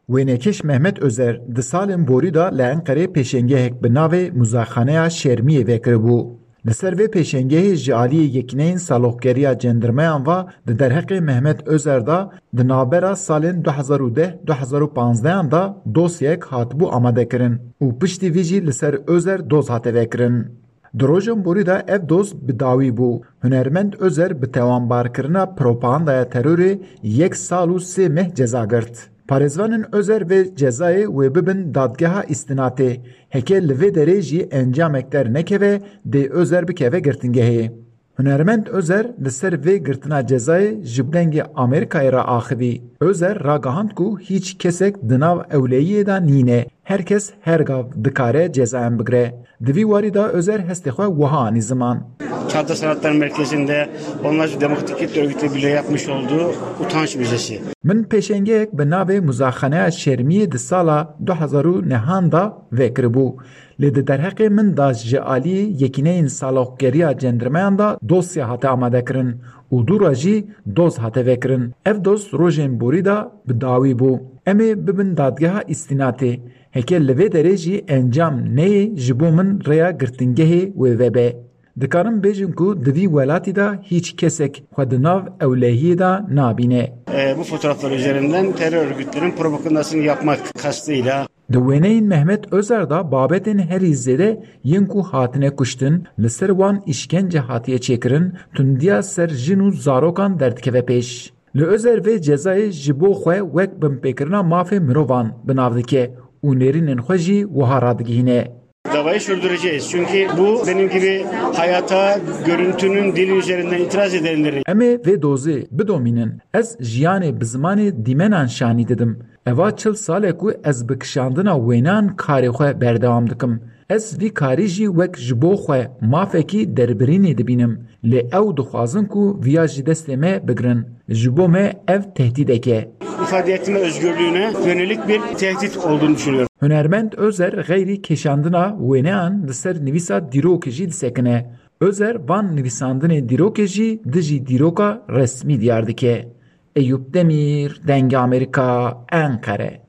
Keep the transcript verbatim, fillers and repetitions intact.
Wênekêş Mehmet Özer di salên borî de li Enqerê pêşengehek bi navê Muzayxaneya Şermiyê vekiribû. Li ser vê pêşengehê ji aliyê Yekîneyên Saloqgeriya Cendirmeyan ve di derheqê Mehmet Özer de di navbera salên du hezar û deh du hezar û panzdeh de dosyayek hatibû amadekirin û piştî vî jî li ser Özer doz hate vekirin. Di rojan borî de ev doz bi dawî bû. Hunermend Özer bi tewanbarkirina propagandaya terorê yek sal û sê meh ceza girt. Parêzvanên Özer vê cezayê wê bibin dadgeha îstinatê. Heke li vê derê jî encamek dernekeve, dê Özer bikeve girtingehê. Hunermend Özer li ser vê girtina cezayê ji Dengê Amerîkayê re axivî. Özer ragihand ku hîç kesek di nav ewlehiyê de nîne. Her kes her gav dikare cezayan bigire. Di vî warî de Özer hestê xwe wiha anî ziman. Çağdaş Sanatlar Merkezi'nde onlarca demokratik kitle örgütleri bile yapmış olduğu utanç müzesi. Min pêşengeyek bi navê Muzaxaneya Şermiyê di sala du hezar û nehan de vekiribû. Lê di derheqê min de ji aliyê Yekîneyên Saloqgeriya Cendirmeyan de dosya hate amadekirin û dû re jî doz hate vekirin. Ev doz rojên borî de bi dawî bû. Em ê bibin dadgeha îstînatê. Heke li vê derê jî encam neyê, ji bo min rêya girtingehê wê vebe. Dikarim bêjim ku di vî welatî de hîç kesek xwe di nav ewlehiyê de nabîne. E, bu fotoğraflar üzerinden terör örgütlerin propagandasını yapmak kastıyla Di wêneyên Mehmet Özer de babetên herî zêde yên ku hatine kuştin, li ser wan îşkence hatiye çêkirin, tundiya ser jin û zarokan derdikeve pêş. Li Özer vê cezayê ji bo xwe wek binpêkirina mafê mirovan bi nav dike û nêrînên xwe jî wiha radigihîne. Davayı sürdüreceğiz. Çünkü bu benim gibi hayata görüntünün dili üzerinden itiraz edenleri Em ê vê dozê bidomînin. Ez jiyanê bi zimanê dîmenan şanî didim. Eva çil sal e ku ez bi kişandina wêneyan karê xwe berdewam dikim. Ez vî karî jî wek ji bo xwe mafekî derbirînê dibînim. Lê ew dixwazin ku viya ji destê me bigirin. Ji bo me ev tehdîdek e. İfade etme özgürlüğüne yönelik bir tehdit olduğunu düşünüyorum. Hunermend Özer xeyrî kêşandina wêneyan li ser nivîsa dîrokê jî disekine. Özer van nivîsandinê dîrokê jî dijî dîroka resmî diyar dike. Eyûp Demîr, Dengê Amerîka, Enqere.